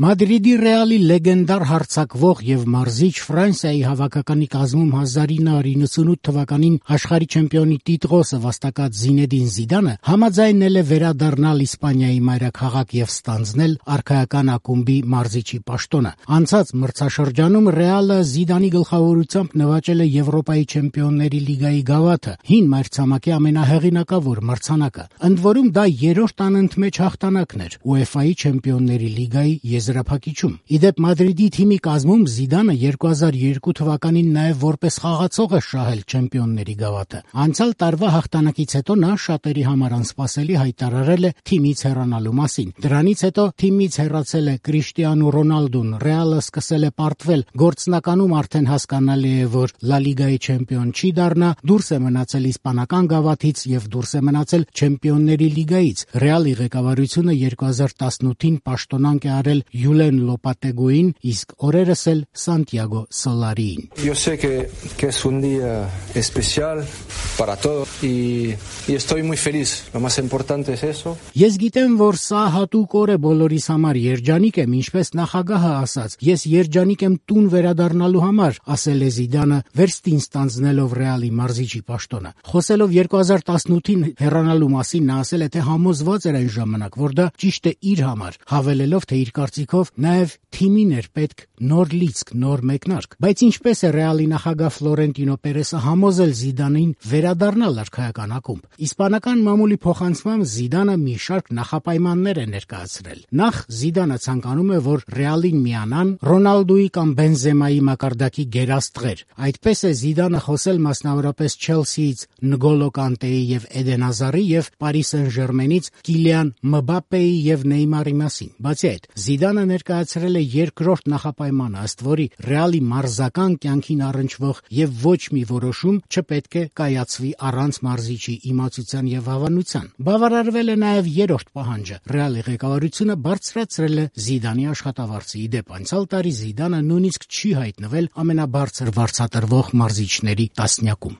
Մադրիդի Ռեալի լեգենդար հարձակվող եւ մարզիչ Ֆրանսիայի հավաքականի կազմում 1998 թվականին աշխարհի չեմպիոնի տիտղոսը վաստակած Զինեդին Զիդանը համաձայնել է վերադառնալ Իսպանիայի մայրաքաղաք եւ ստանձնել արքայական ակումբի մարզիչի պաշտոնը։ Անցած մրցաշրջանում Ռեալը Զիդանի գլխավորությամբ նվաճել է Եվրոպայի չեմպիոնների լիգայի գավաթը, հին մայրցամաքի ամենահեղինակավոր մրցանակը։ Ընդ որում դա երրորդ անընդմեջ հաղթանակն էր UEFA-ի չեմպիոնների լիգայի եզրափակիչում։ Իդեպ Մադրիդի թիմի կազմում Զիդանը 2002 թվականին նաև որպես խաղացող է շահել չեմպիոնների գավաթը։ Անցյալ տարվա հաղթանակից հետո նա շատերի համար անսպասելի հայտարարել է թիմից հեռանալու մասին։ Դրանից հետո թիմից հեռացել է Կրիշտիանու Ռոնալդուն, Ռեալը սկսել է պարտվել, գործնականում արդեն հասկանալի է, որ Լա Լիգայի չեմպիոն չի դառնա, դուրս է մնացել իսպանական գավաթից եւ դուրս է մնացել չեմպիոնների լիգայից։ Ռեալի ղեկավարությունը 2018-ին պաշտոնանկ է արել Յուլեն Լոպատեգուին, իսկ օրերս էլ Սանտիագո Սոլարիին։ Yo sé que es un día especial para todos y estoy muy feliz. Lo más importante es eso. Ես գիտեմ, որ սա հատուկ օր է բոլորիս համար, երջանիկ եմ, ինչպես նախագահը ասաց։ Ես երջանիկ եմ տուն վերադառնալու համար, ասել է Զիդանը, վերստին ստանձնելով Ռեալի մարզիչի պաշտոնը։ Խոսելով 2018-ին հեռանալու մասին նա ասել է, թե համոզված էր այն ժամանակ, որ դա ճիշտ է իր համար, հավելելով, թե իր կարծիքով նաև թիմին էր պետք նոր լիցք, նոր մեկնարկ։ Բայց ինչպես է Ռեալի նախագահ Ֆլորենտինո Պերեսը համոզել Զիդանին վերադառնալ արքայական ակումբ։ Իսպանական մամուլի փոխանցմամբ Զիդանը մի շարք նախապայմաններ է ներկայացրել։ Նախ Զիդանը ցանկանում է, որ Ռեալին միանան Ռոնալդուի կամ Բենզեմայի մակարդակի գերաստղեր։ Այդպես է Զիդանը խոսել մասնավորապես Չելսիից Նգոլո Կանտեի եւ Էդեն Հազարի եւ Պարի Սեն-Ժերմենից Կիլիան Մբապեի եւ Նեյմարի մասին։ Բացի այդ, Զիդանը ներկայացրել է երկրորդ նախապայմանը, ըստ որի Ռեալի մարզական կյանքին առնչվող եւ ոչ մի որոշում չպետք է կայացվի առանց մարզիչի իմացության եւ հավանության։ Բավարարվել է նաեւ երրորդ պահանջը։ Ռեալի ղեկավարությունը բարձրացրել է Զիդանի աշխատավարձը։ Իդեպ անցյալ տարի Զիդանը նույնիսկ չի հայտնվել ամենաբարձր վարձատրվող մարզիչների տասնյակում։